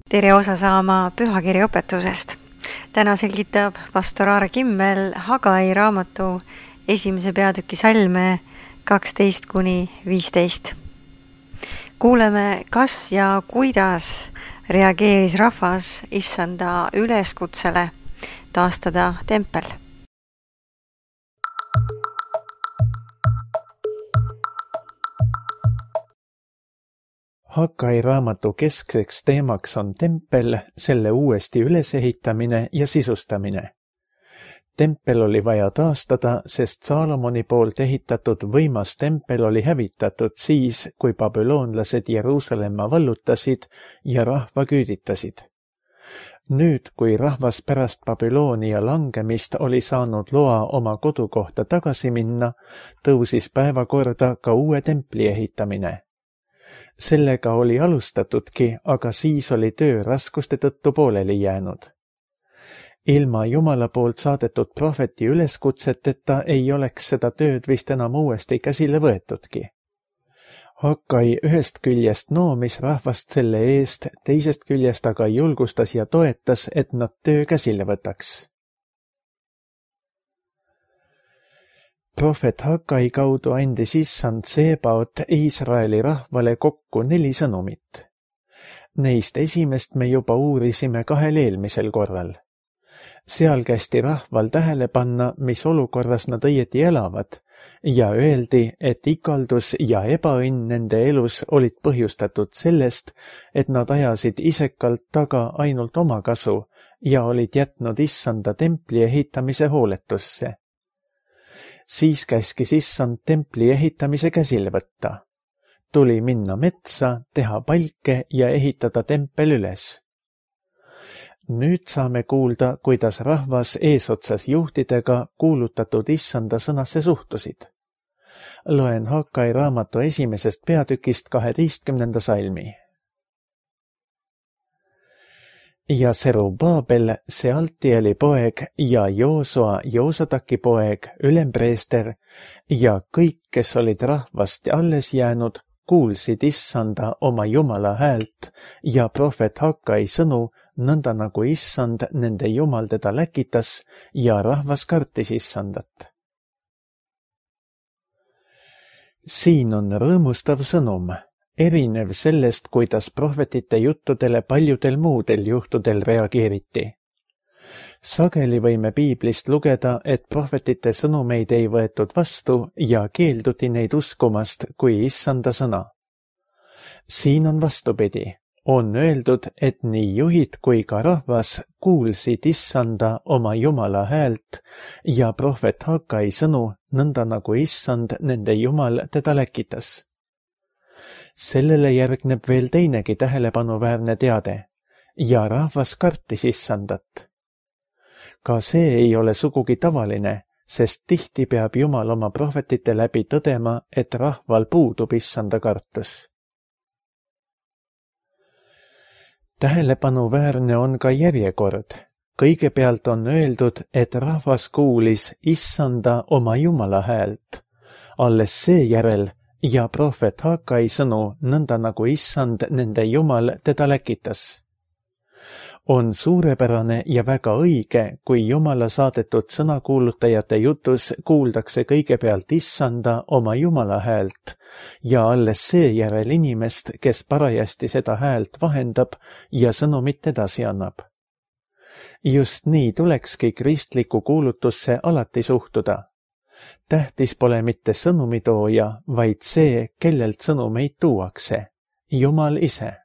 Tere osa saama pühakirja õpetusest. Täna selgitab pastor Aare Kimmel Hagai raamatu 1. peatüki salme 12-15. Kuuleme, kas ja kuidas reageeris rahvas issanda üleskutsele taastada tempel. Hagai raamatu keskseks teemaks on tempel, selle uuesti ülesehitamine ja sisustamine. Tempel oli vaja taastada, sest Saalomoni poolt ehitatud võimas tempel oli hävitatud siis, kui babüloonlased Jeruusalemma vallutasid ja rahva küüditasid. Nüüd, kui rahvas pärast Babyloonia langemist oli saanud loa oma kodukohta tagasi minna, tõusis päevakorda ka uue templi ehitamine. Sellega oli alustatudki, aga siis oli töö raskuste tõttu pooleli jäänud. Ilma Jumala poolt saadetud prohveti üleskutseteta ei oleks seda tööd vist enam uuesti käsile võetudki. Hagai ühest küljest noomis rahvast selle eest, teisest küljest aga julgustas ja toetas, et nad töö käsile võtaks. Prohvet Hagai kaudu andis issand Sebaot Iisraeli rahvale kokku 4 sõnumit. Neist esimest me juba uurisime 2 eelmisel korral. Seal kästi rahval tähele panna, mis olukorras nad õieti elavad, ja öeldi, et ikaldus ja ebaõnn nende elus olid põhjustatud sellest, et nad ajasid isekalt taga ainult oma kasu ja olid jätnud issanda templi ehitamise hooletusse. Siis käskis issand templi ehitamise käsile võtta. Tuli minna metsa, teha palke ja ehitada tempel üles. Nüüd saame kuulda, kuidas rahvas eesotsas juhtidega kuulutatud issanda sõnasse suhtusid. Loen Hagai raamatu 1. peatükist 12. salmi. Ja Serubabel, Sealtieli poeg ja Joosua, Joosataki poeg, ülempreester ja kõik, kes olid rahvast alles jäänud, kuulsid issanda oma Jumala häält ja prohvet Hagai sõnu, nõnda nagu issand nende Jumal teda läkitas ja rahvas kartis issandat. Siin on rõõmustav sõnum. Erinev sellest, kuidas prohvetite juttudele paljudel muudel juhtudel reageeriti. Sageli võime piiblist lugeda, et prohvetite sõnumeid ei võetud vastu ja keelduti neid uskumast kui issanda sõna. Siin on vastupidi. On öeldud, et nii juhid kui ka rahvas kuulsid issanda oma Jumala häält ja prohvet Hagai sõnu, nõnda nagu issand nende Jumal teda läkitas. Sellele järgneb veel teinegi tähelepanuväärne teade ja rahvas kartis issandat. Ka see ei ole sugugi tavaline, sest tihti peab Jumal oma prohvetite läbi tõdema, et rahval puudub issanda kartus. Tähelepanuväärne on ka järjekord. Kõigepealt on öeldud, et rahvas kuulis issanda oma Jumala häält. Alles seejärel ja prohvet Hagai sõnu, nõnda nagu issand nende Jumal teda läkitas. On suurepärane ja väga õige, kui Jumala saadetud sõnakuulutajate jutus kuuldakse kõigepealt issanda oma Jumala häält ja alles seejärel inimest, kes parajasti seda häält vahendab ja sõnumit edasi annab. Just nii tulekski kristliku kuulutusse alati suhtuda. Tähtis pole mitte sõnumitooja, vaid see, kellelt sõnumeid tuuakse, Jumal ise.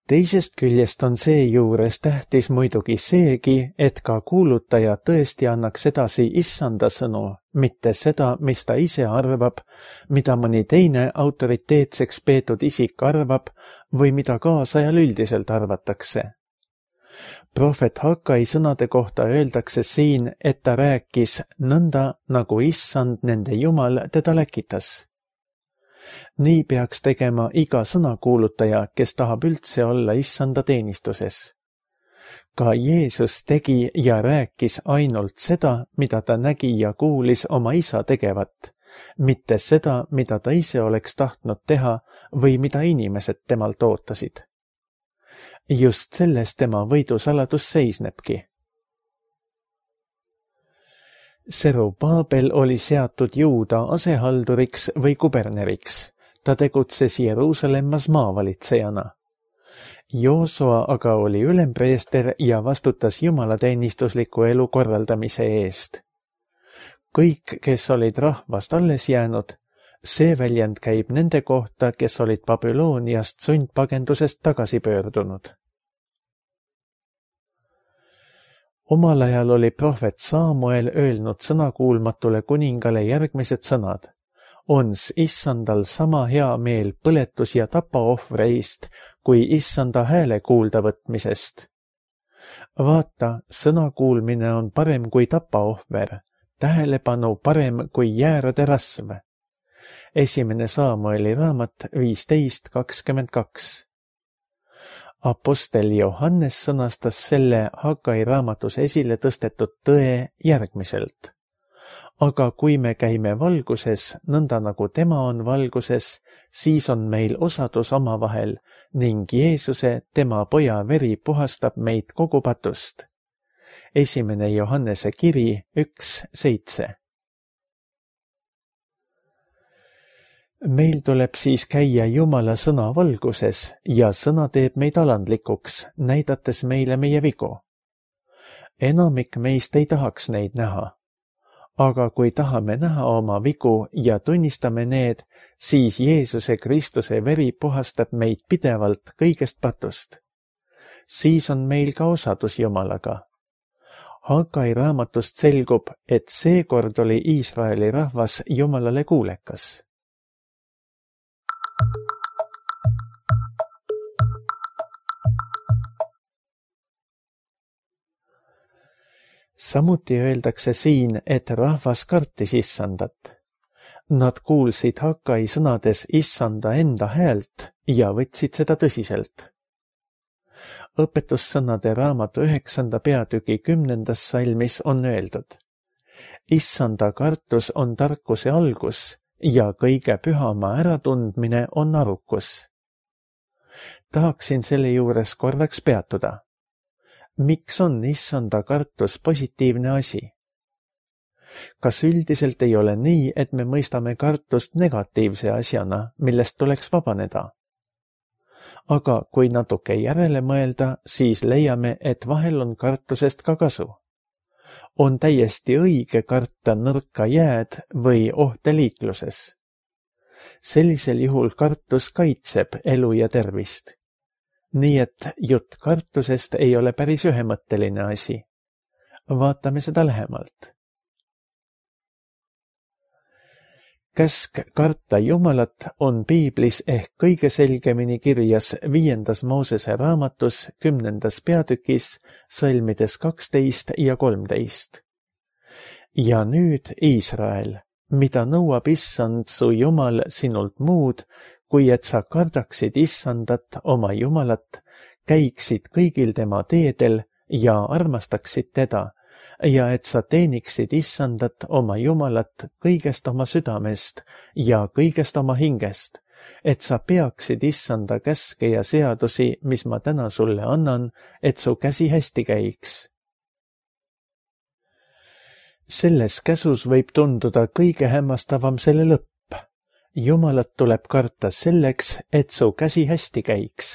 Teisest küljest on seejuures tähtis muidugi seegi, et ka kuulutaja tõesti annaks edasi issanda sõnu, mitte seda, mis ta ise arvab, mida mõni teine autoriteetseks peetud isik arvab või mida kaasajal üldiselt arvatakse. Prohvet Hagai sõnade kohta öeldakse siin, et ta rääkis nõnda, nagu issand nende Jumal teda läkitas. Nii peaks tegema iga sõnakuulutaja, kes tahab üldse olla issanda teenistuses. Ka Jeesus tegi ja rääkis ainult seda, mida ta nägi ja kuulis oma isa tegevat, mitte seda, mida ta ise oleks tahtnud teha, või mida inimesed temalt ootasid. Just selles tema võidusaladus seisnebki. Serubaabel oli seatud Juuda asehalduriks või kuberneriks. Ta tegutses Jeruusalemmas maavalitsejana. Joosua aga oli ülempreester ja vastutas jumalateenistusliku elu korraldamise eest. Kõik, kes olid rahvast alles jäänud, see väljend käib nende kohta, kes olid Babyloniast sundpagendusest tagasi pöördunud. Omal ajal oli prohvet Saamuel öelnud sõnakuulmatule kuningale järgmised sõnad. Ons issandal sama hea meel põletus- ja tapaohvreist, kui issanda hääle kuulda võtmisest. Vaata, sõnakuulmine on parem kui tapaohver, tähelepanu parem kui jäärade rasv. Esimene Saamueli raamat 15:22. Apostel Johannes sõnastas selle Hagai raamatus esile tõstetud tõe järgmiselt. Aga kui me käime valguses, nõnda nagu tema on valguses, siis on meil osadus omavahel ning Jeesuse, tema poja veri puhastab meid kogu patust. Esimene Johannese kiri 1:7. Meil tuleb siis käia Jumala sõna valguses ja sõna teeb meid alandlikuks, näidates meile meie vigu. Enamik meist ei tahaks neid näha. Aga kui tahame näha oma vigu ja tunnistame need, siis Jeesuse Kristuse veri puhastab meid pidevalt kõigest patust. Siis on meil ka osadus Jumalaga. Hagai raamatust selgub, et seekord oli Iisraeli rahvas Jumalale kuulekas. Samuti öeldakse siin, et rahvas kartis issandat. Nad kuulsid Hagai sõnades issanda enda häält ja võtsid seda tõsiselt. Õpetussõnade raamatu 9. peatüki 10. salmis on öeldud. Issanda kartus on tarkuse algus ja kõige pühama äratundmine on arukus. Tahaksin selle juures korraks peatuda. Miks on issanda kartus positiivne asi? Kas üldiselt ei ole nii, et me mõistame kartust negatiivse asjana, millest tuleks vabaneda? Aga kui natuke järele mõelda, siis leiame, et vahel on kartusest ka kasu. On täiesti õige karta nõrka jääd või ohte liikluses. Sellisel juhul kartus kaitseb elu ja tervist. Nii et jutt kartusest ei ole päris ühemõtteline asi. Vaatame seda lähemalt. Käsk karta Jumalat on piiblis ehk kõige selgemini kirjas 5. Moosese raamatus 10. peatükis salmides 12 ja 13. Ja nüüd, Iisrael, mida nõuab issand su Jumal sinult muud, kui et sa kardaksid issandat oma Jumalat, käiksid kõigil tema teedel ja armastaksid teda, ja et sa teeniksid issandat oma Jumalat kõigest oma südamest ja kõigest oma hingest, et sa peaksid issanda käske ja seadusi, mis ma täna sulle annan, et su käsi hästi käiks. Selles käsus võib tunduda kõige hämmastavam selle lõpp. Jumalat tuleb karta selleks, et su käsi hästi käiks.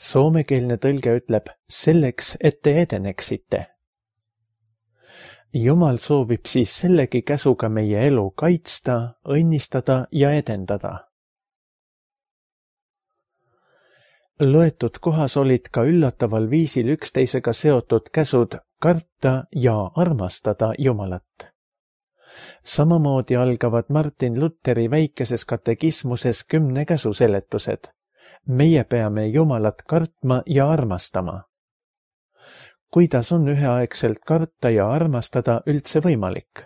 Soomekeelne tõlge ütleb selleks, et te edeneksite. Jumal soovib siis sellegi käsuga meie elu kaitsta, õnnistada ja edendada. Loetud kohas olid ka üllataval viisil üksteisega seotud käsud karta ja armastada Jumalat. Samamoodi algavad Martin Lutheri väikeses katekismuses 10 käsu seletused. Meie peame Jumalat kartma ja armastama. Kuidas on üheaegselt karta ja armastada üldse võimalik?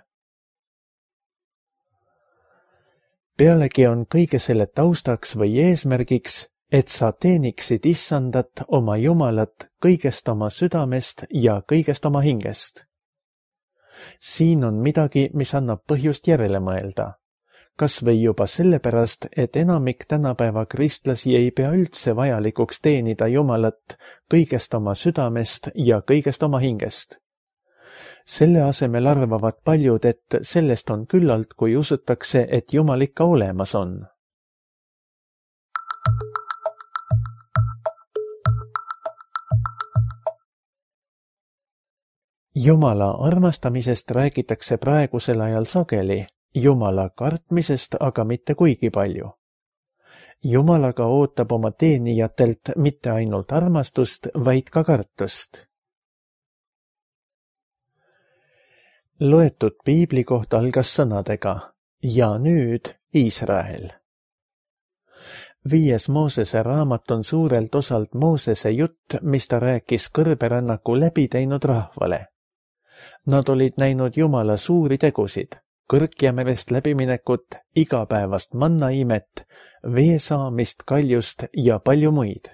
Pealegi on kõige selle taustaks või eesmärgiks, et sa teeniksid issandat oma Jumalat kõigest oma südamest ja kõigest oma hingest. Siin on midagi, mis annab põhjust järele mõelda. kas või juba sellepärast, et enamik tänapäeva kristlasi ei pea üldse vajalikuks teenida Jumalat kõigest oma südamest ja kõigest oma hingest. Selle asemel arvavad paljud, et sellest on küllalt, kui usutakse, et Jumal ikka olemas on. Jumala armastamisest räägitakse praegusel ajal sageli, Jumala kartmisest aga mitte kuigi palju. Jumalaga ootab oma teenijatelt mitte ainult armastust, vaid ka kartust. Loetud piibli koht algas sõnadega ja nüüd Iisrael. 5. Moosese raamat on suurelt osalt Moosese jutt, mis ta rääkis kõrberännaku läbi teinud rahvale. Nad olid näinud Jumala suuri tegusid, Kõrkjamerest läbiminekut, igapäevast mannaimet, vee saamist kaljust ja palju muid.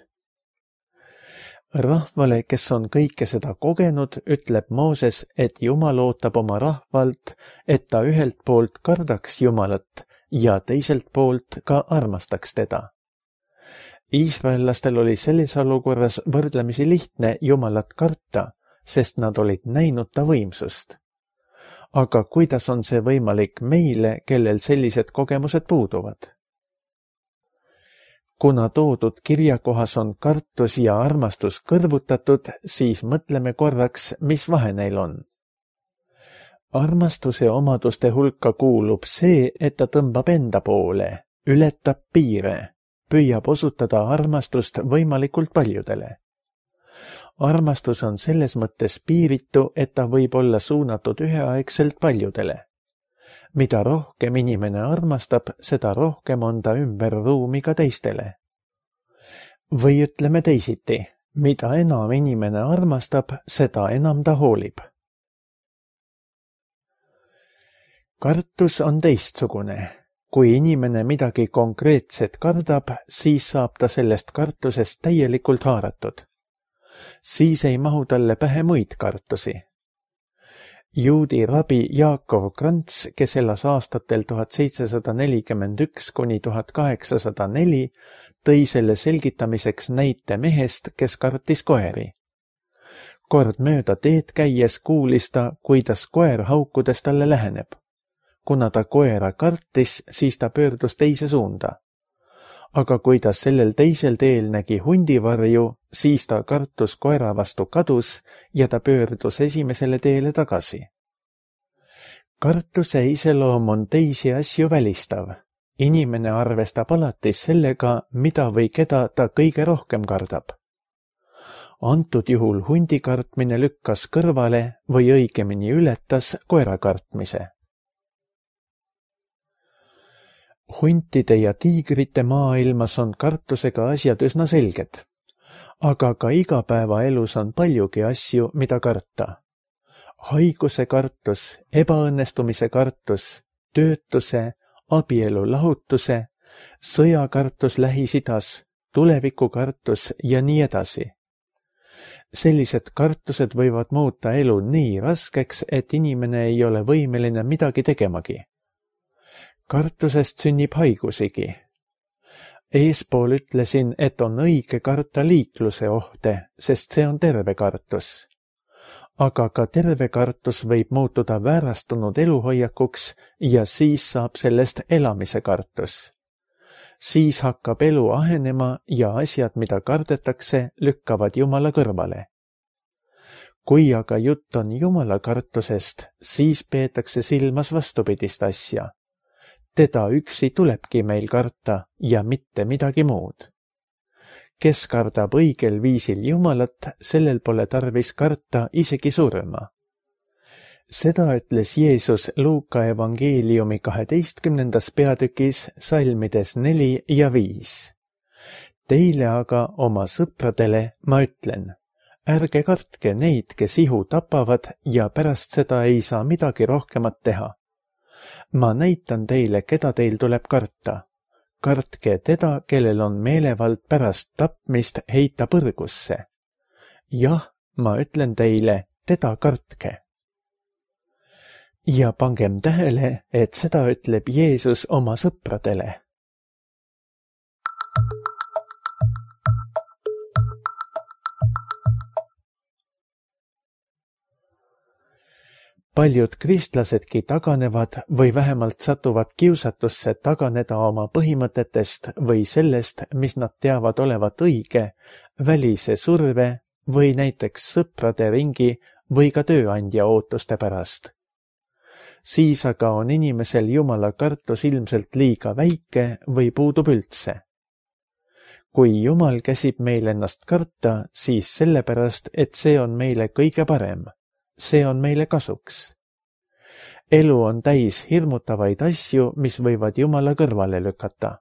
Rahvale, kes on kõike seda kogenud, ütleb Mooses, et Jumal ootab oma rahvalt, et ta ühelt poolt kardaks Jumalat ja teiselt poolt ka armastaks teda. Iisraellastel oli selles olukorras võrdlemisi lihtne Jumalat karta, sest nad olid näinud ta võimsust. Aga kuidas on see võimalik meile, kellel sellised kogemused puuduvad? Kuna toodud kirjakohas on kartus ja armastus kõrvutatud, siis mõtleme korraks, mis vahe neil on. Armastuse omaduste hulka kuulub see, et ta tõmbab enda poole, ületab piire, püüab osutada armastust võimalikult paljudele. Armastus on selles mõttes piiritu, et ta võib olla suunatud üheaegselt paljudele. Mida rohkem inimene armastab, seda rohkem on ta ümber ruumi ka teistele. Või ütleme teisiti, mida enam inimene armastab, seda enam ta hoolib. Kartus on teistsugune. Kui inimene midagi konkreetset kardab, siis saab ta sellest kartusest täielikult haaratud. Siis ei mahu talle pähe muid kartusi. Juudi rabi Jaakov Krants, kes elas aastatel 1741 kuni 1804, tõi selle selgitamiseks näite mehest, kes kartis koeri. Kord mööda teed käies kuulis ta, kuidas koer haukudes talle läheneb. Kuna ta koera kartis, siis ta pöördus teise suunda. Aga kui ta sellel teisel teel nägi hundivarju, siis ta kartus koera vastu kadus ja ta pöördus esimesele teele tagasi. Kartuse iseloom on teisi asju välistav. Inimene arvestab alati sellega, mida või keda ta kõige rohkem kardab. Antud juhul hundi kartmine lükkas kõrvale või õigemini ületas koera kartmise. Huntide ja tiigrite maailmas on kartusega asjad üsna selged, aga ka igapäevaelus on paljugi asju, mida karta. Haiguse kartus, ebaõnnestumise kartus, töötuse, abielu lahutuse, sõjakartus Lähis-Idas, tulevikukartus ja nii edasi. Sellised kartused võivad muuta elu nii raskeks, et inimene ei ole võimeline midagi tegemagi. Kartusest sünnib haigusigi. Eespool ütlesin, et on õige karta liikluse ohte, sest see on terve kartus. Aga ka terve kartus võib muutuda väärastunud eluhoiakuks ja siis saab sellest elamise kartus. Siis hakkab elu ahenema ja asjad, mida kardetakse, lükkavad Jumala kõrvale. Kui aga jutt on Jumala kartusest, siis peetakse silmas vastupidist asja. Teda üksi tulebki meil karta ja mitte midagi muud. Kes kardab õigel viisil Jumalat, sellel pole tarvis karta isegi surma. Seda ütles Jeesus Luuka evangeeliumi 12. peatükis salmides 4 ja 5. Teile aga, oma sõpradele, ma ütlen, ärge kartke neid, kes ihu tapavad ja pärast seda ei saa midagi rohkemat teha. Ma näitan teile, keda teil tuleb karta. Kartke teda, kellel on meelevald pärast tapmist heita põrgusse. Jah, ma ütlen teile, teda kartke. Ja pangem tähele, et seda ütleb Jeesus oma sõpradele. Paljud kristlasedki taganevad või vähemalt satuvad kiusatusse taganeda oma põhimõtetest või sellest, mis nad teavad olevat õige, välise surve või näiteks sõprade ringi või ka tööandja ootuste pärast. Siis aga on inimesel Jumala kartus ilmselt liiga väike või puudub üldse. Kui Jumal käsib meil ennast karta, siis sellepärast, et see on meile kõige parem. See on meile kasuks. Elu on täis hirmutavaid asju, mis võivad Jumala kõrvale lükata.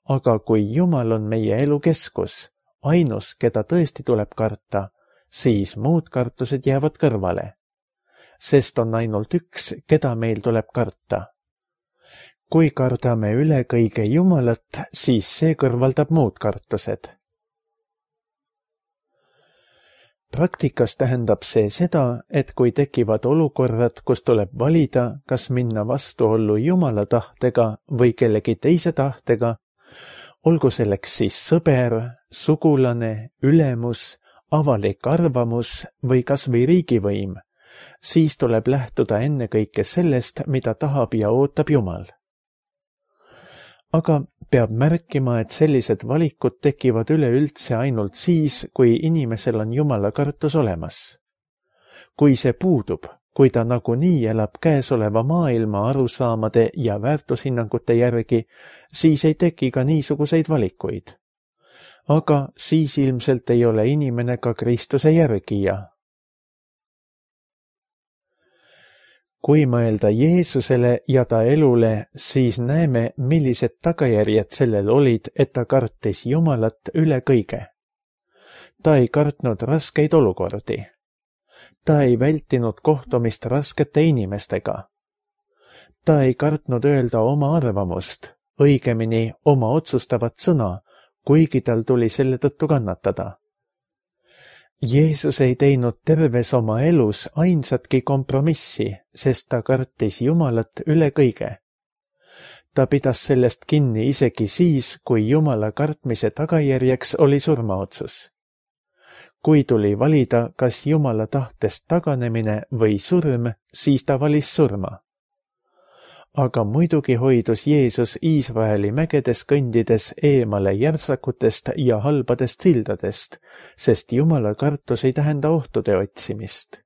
Aga kui Jumal on meie elu keskus, ainus, keda tõesti tuleb karta, siis muud kartused jäävad kõrvale. Sest on ainult üks, keda meil tuleb karta. Kui kardame üle kõige Jumalat, siis see kõrvaldab muud kartused. Praktikas tähendab see seda, et kui tekivad olukorrad, kus tuleb valida, kas minna vastuollu Jumala tahtega või kellegi teise tahtega, olgu selleks siis sõber, sugulane, ülemus, avalik arvamus või kas või riigivõim, siis tuleb lähtuda ennekõike sellest, mida tahab ja ootab Jumal. Aga peab märkima, et sellised valikud tekivad üleüldse ainult siis, kui inimesel on Jumala kartus olemas. Kui see puudub, kui ta nagunii elab käesoleva maailma arusaamade ja väärtushinnangute järgi, siis ei teki ka niisuguseid valikuid. Aga siis ilmselt ei ole inimene ka Kristuse järgija. Kui mõelda Jeesusele ja ta elule, siis näeme, millised tagajärjed sellel olid, et ta kartis Jumalat üle kõige. Ta ei kartnud raskeid olukordi. Ta ei vältinud kohtumist raskete inimestega. Ta ei kartnud öelda oma arvamust, õigemini oma otsustavat sõna, kuigi tal tuli selle tõttu kannatada. Jeesus ei teinud terves oma elus ainsatki kompromissi, sest ta kartis Jumalat üle kõige. Ta pidas sellest kinni isegi siis, kui Jumala kartmise tagajärjeks oli surmaotsus. Kui tuli valida, kas Jumala tahtest taganemine või surm, siis ta valis surma. Aga muidugi hoidus Jeesus Iisraeli mägedes kõndides eemale järtsakutest ja halbadest sildadest, sest Jumala kartus ei tähenda ohtude otsimist.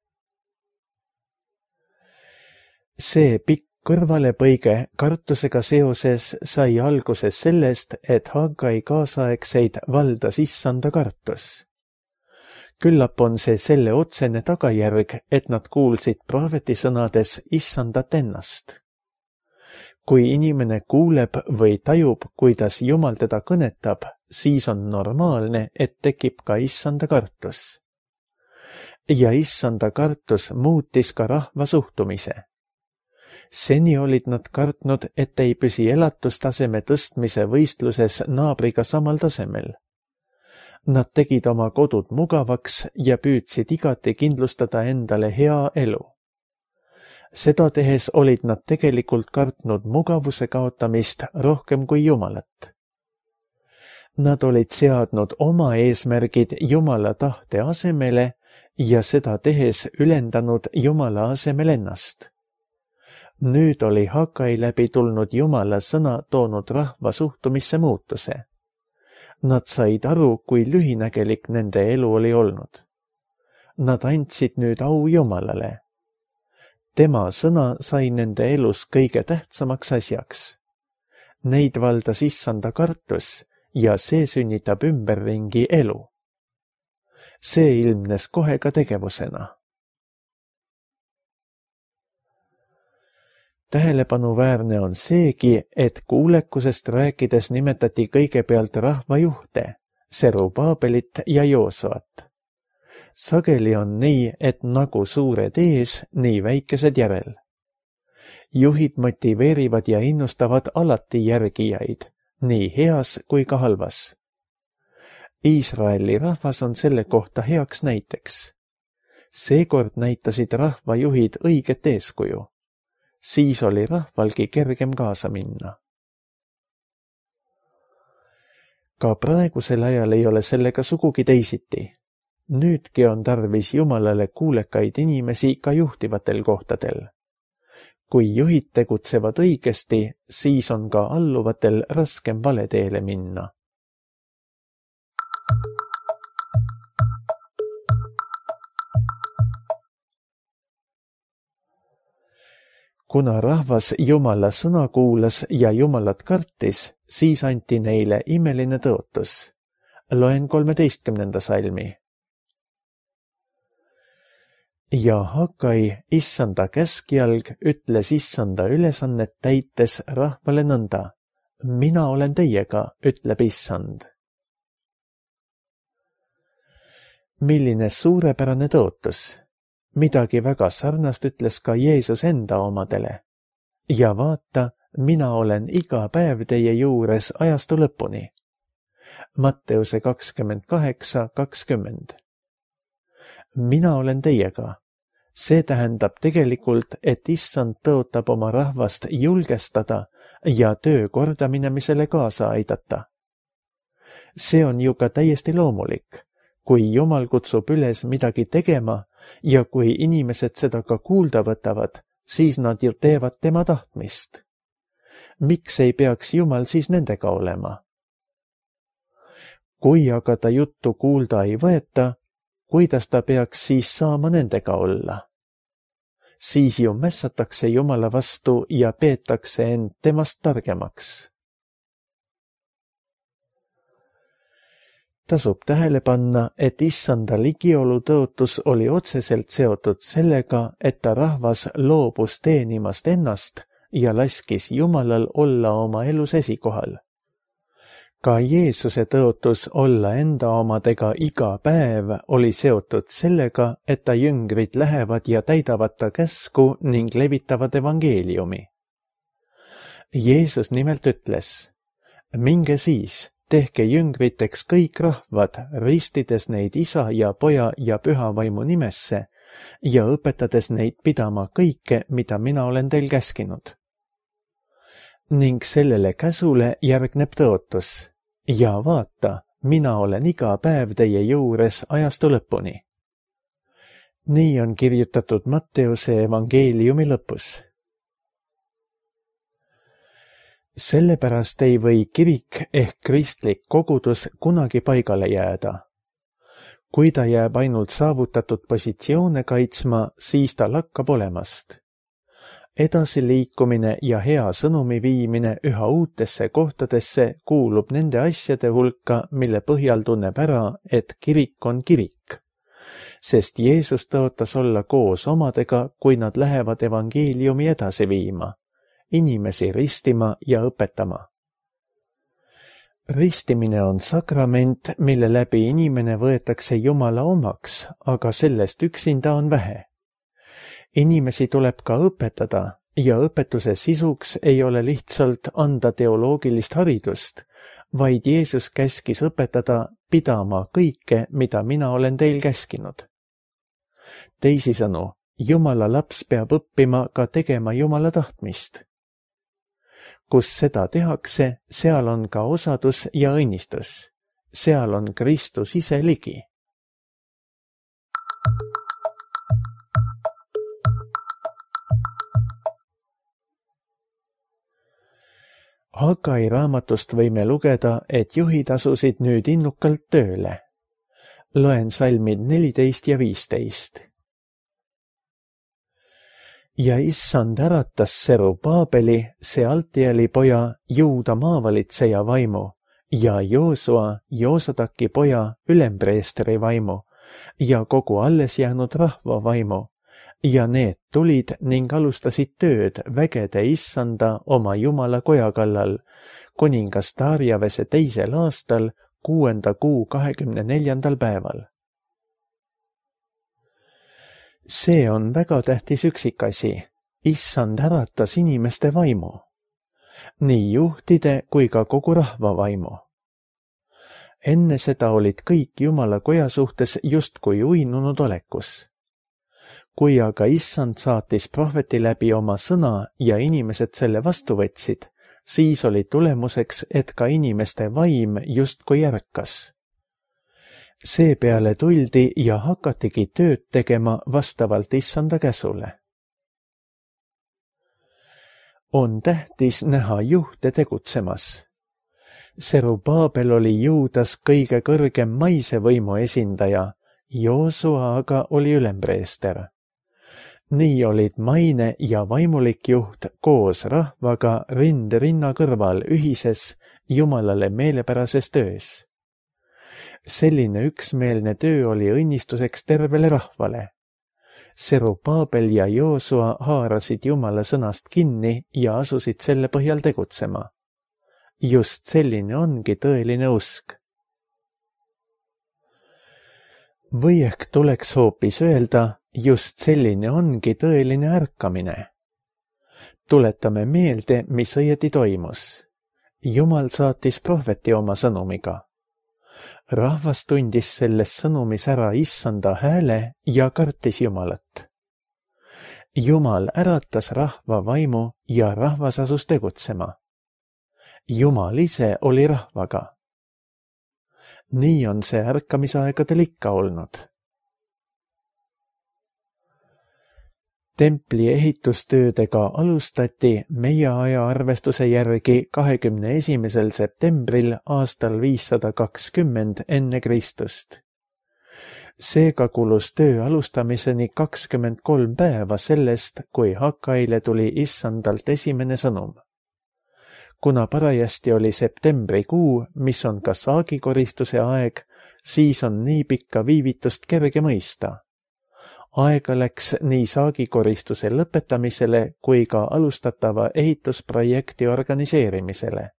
See pikk kõrvalepõige kartusega seoses sai alguse sellest, et Haggai kaasaegseid valdas issanda kartus. Küllap on see selle otsene tagajärg, et nad kuulsid prohveti sõnades issandat ennast. Kui inimene kuuleb või tajub, kuidas Jumal teda kõnetab, siis on normaalne, et tekib ka issanda kartus. Ja issanda kartus muutis ka rahva suhtumise. Seni olid nad kartnud, et ei püsi elatustaseme tõstmise võistluses naabriga samal tasemel. Nad tegid oma kodud mugavaks ja püüdsid igati kindlustada endale hea elu. Seda tehes olid nad tegelikult kartnud mugavuse kaotamist rohkem kui Jumalat. Nad olid seadnud oma eesmärgid Jumala tahte asemele ja seda tehes ülendanud Jumala asemel ennast. Nüüd oli Haggai läbi tulnud Jumala sõna toonud rahva suhtumisse muutuse. Nad said aru, kui lühinägelik nende elu oli olnud. Nad andsid nüüd au Jumalale. Tema sõna sai nende elus kõige tähtsamaks asjaks. Neid valdas issanda kartus ja see sünnitab ümberringi elu. See ilmnes kohe ka tegevusena. Tähelepanuväärne on seegi, et kuulekusest rääkides nimetati kõigepealt rahvajuhte, Serubabelit ja Joosuat. Sageli on nii, et nagu suured ees, nii väikesed järel. Juhid motiveerivad ja innustavad alati järgijaid, nii heas kui ka halvas. Iisraeli rahvas on selle kohta heaks näiteks. Seekord näitasid rahvajuhid õiget eeskuju. Siis oli rahvalgi kergem kaasa minna. Ka praegusel ajal ei ole sellega sugugi teisiti. Nüüdki on tarvis Jumalale kuulekaid inimesi ka juhtivatel kohtadel. Kui juhid tegutsevad õigesti, siis on ka alluvatel raskem valeteele minna. Kuna rahvas Jumala sõna kuulas ja Jumalat kartis, siis anti neile imeline tõotus. Loen 13. salmi. Ja Hagai, issanda käskjalg, ütles issanda ülesannet täites rahvale nõnda. Mina olen teiega, ütleb issand. Milline suurepärane tõotus. Midagi väga sarnast ütles ka Jeesus enda omadele. Ja vaata, mina olen iga päev teie juures ajastu lõpuni. Matteuse 28:20. Mina olen teiega. See tähendab tegelikult, et issand tõotab oma rahvast julgestada ja töö kordaminemisele kaasa aidata. See on ju ka täiesti loomulik. Kui Jumal kutsub üles midagi tegema ja kui inimesed seda ka kuulda võtavad, siis nad ju teevad tema tahtmist. Miks ei peaks Jumal siis nendega olema? Kui aga ta juttu kuulda ei võeta, kuidas ta peaks siis saama nendega olla? Siis ju mässatakse Jumala vastu ja peetakse end temast targemaks. Tasub tähele panna, et issanda ligiolu tõotus oli otseselt seotud sellega, et ta rahvas loobus teenimast ennast ja laskis Jumalal olla oma elus esikohal. Ka Jeesuse tõotus olla enda omadega iga päev oli seotud sellega, et ta jüngrid lähevad ja täidavad ta käsku ning levitavad evangeeliumi. Jeesus nimelt ütles, minge siis, tehke jüngriteks kõik rahvad, ristides neid Isa ja Poja ja Püha Vaimu nimesse ja õpetades neid pidama kõike, mida mina olen teil käskinud. Ning sellele käsule järgneb tõotus. Ja vaata, mina olen iga päev teie juures ajastu lõpuni. Nii on kirjutatud Matteuse evangeeliumi lõpus. Sellepärast ei või kirik ehk kristlik kogudus kunagi paigale jääda. Kui ta jääb ainult saavutatud positsioone kaitsma, siis ta lakkab olemast. Edasiliikumine ja hea sõnumi viimine üha uutesse kohtadesse kuulub nende asjade hulka, mille põhjal tunneb ära, et kirik on kirik. Sest Jeesus tõotas olla koos omadega, kui nad lähevad evangeeliumi edasi viima, inimesi ristima ja õpetama. Ristimine on sakrament, mille läbi inimene võetakse Jumala omaks, aga sellest üksinda on vähe. Inimesi tuleb ka õpetada ja õpetuse sisuks ei ole lihtsalt anda teoloogilist haridust, vaid Jeesus käskis õpetada pidama kõike, mida mina olen teil käskinud. Teisisõnu, Jumala laps peab õppima ka tegema Jumala tahtmist. Kus seda tehakse, seal on ka osadus ja õnnistus. Seal on Kristus ise ligi. Hagai raamatust võime lugeda, et juhid asusid nüüd innukalt tööle. Loen salmid 14 ja 15. Ja issand äratas Serubaabeli, Sealtieli poja, Juuda maavalitseja vaimu ja Joosua, Joosadaki poja, ülempreestri vaimu ja kogu alles jäänud rahva vaimu. Ja need tulid ning alustasid tööd vägede issanda oma Jumala koja kallal, kuningas Darjavese 2. aastal, 6. kuu 24. päeval. See on väga tähtis üksikasi. Issand äratas inimeste vaimu. Nii juhtide kui ka kogu rahva vaimu. Enne seda olid kõik Jumala koja suhtes justkui uinunud olekus. Kui aga issand saatis prohveti läbi oma sõna ja inimesed selle vastu võtsid, siis oli tulemuseks, et ka inimeste vaim justkui ärkas. Seepeale tuldi ja hakatigi tööd tegema vastavalt issanda käsule. On tähtis näha juhte tegutsemas. Serubaabel oli Juudas kõige kõrgem maise võimu esindaja, Joosua aga oli ülempreester. Nii olid maine ja vaimulik juht koos rahvaga rind rinna kõrval ühises Jumalale meelepärases töös. Selline üksmeelne töö oli õnnistuseks tervele rahvale. Serubaabel ja Joosua haarasid Jumala sõnast kinni ja asusid selle põhjal tegutsema. Just selline ongi tõeline usk. Või ehk tuleks hoopis öelda, just selline ongi tõeline ärkamine. Tuletame meelde, mis õieti toimus. Jumal saatis prohveti oma sõnumiga. Rahvas tundis selles sõnumis ära issanda hääle ja kartis Jumalat. Jumal äratas rahva vaimu ja rahvas asus tegutsema. Jumal ise oli rahvaga. Nii on see ärkamisaegadel ikka olnud. Templi ehitustöödega alustati meie ajaarvestuse järgi 21. septembril aastal 520 enne Kristust. Seega kulus töö alustamiseni 23 päeva sellest, kui Hakaile tuli issandalt esimene sõnum. Kuna parajasti oli septembrikuu, mis on ka saagikoristuse aeg, siis on nii pikka viivitust kerge mõista. Aega läks nii saagikoristuse lõpetamisele kui ka alustatava ehitusprojekti organiseerimisele.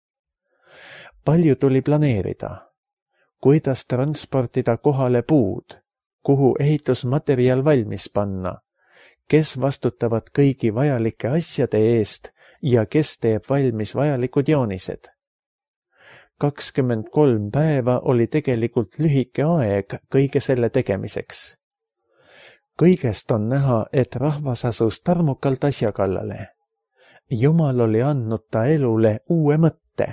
Palju tuli planeerida. Kuidas transportida kohale puud, kuhu ehitusmaterjal valmis panna, kes vastutavad kõigi vajalike asjade eest ja kes teeb valmis vajalikud joonised. 23 päeva oli tegelikult lühike aeg kõige selle tegemiseks. Kõigest on näha, et rahvas asus tarmukalt asja kallale. Jumal oli andnud ta elule uue mõtte.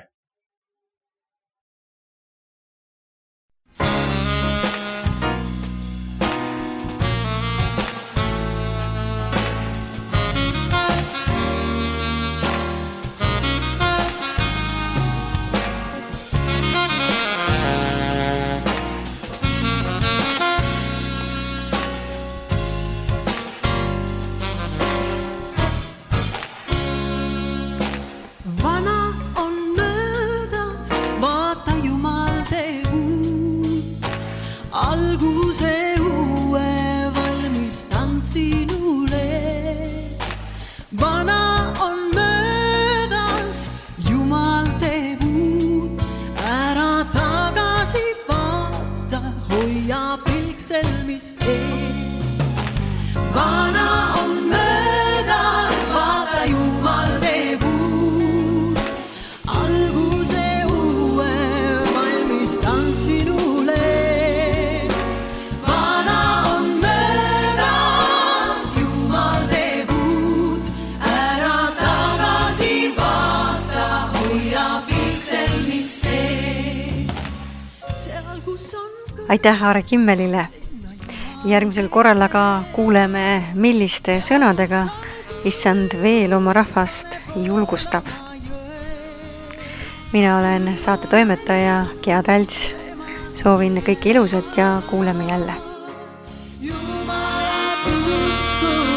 Alguse uue valmistan sinule. Vana on möödas, Jumal teeb uut. Ära tagasi vaata, hoia pilk selmis ees. Vana on möödas, vaata Jumal teeb uut. Alguse uue valmistan sinule. Aitäh Aare Kimmelile. Järgmisel korral aga kuuleme, milliste sõnadega issand veel oma rahvast julgustab. Mina olen saate toimetaja Gea Talts. Soovin kõike ilusat ja kuuleme jälle. Jumala usku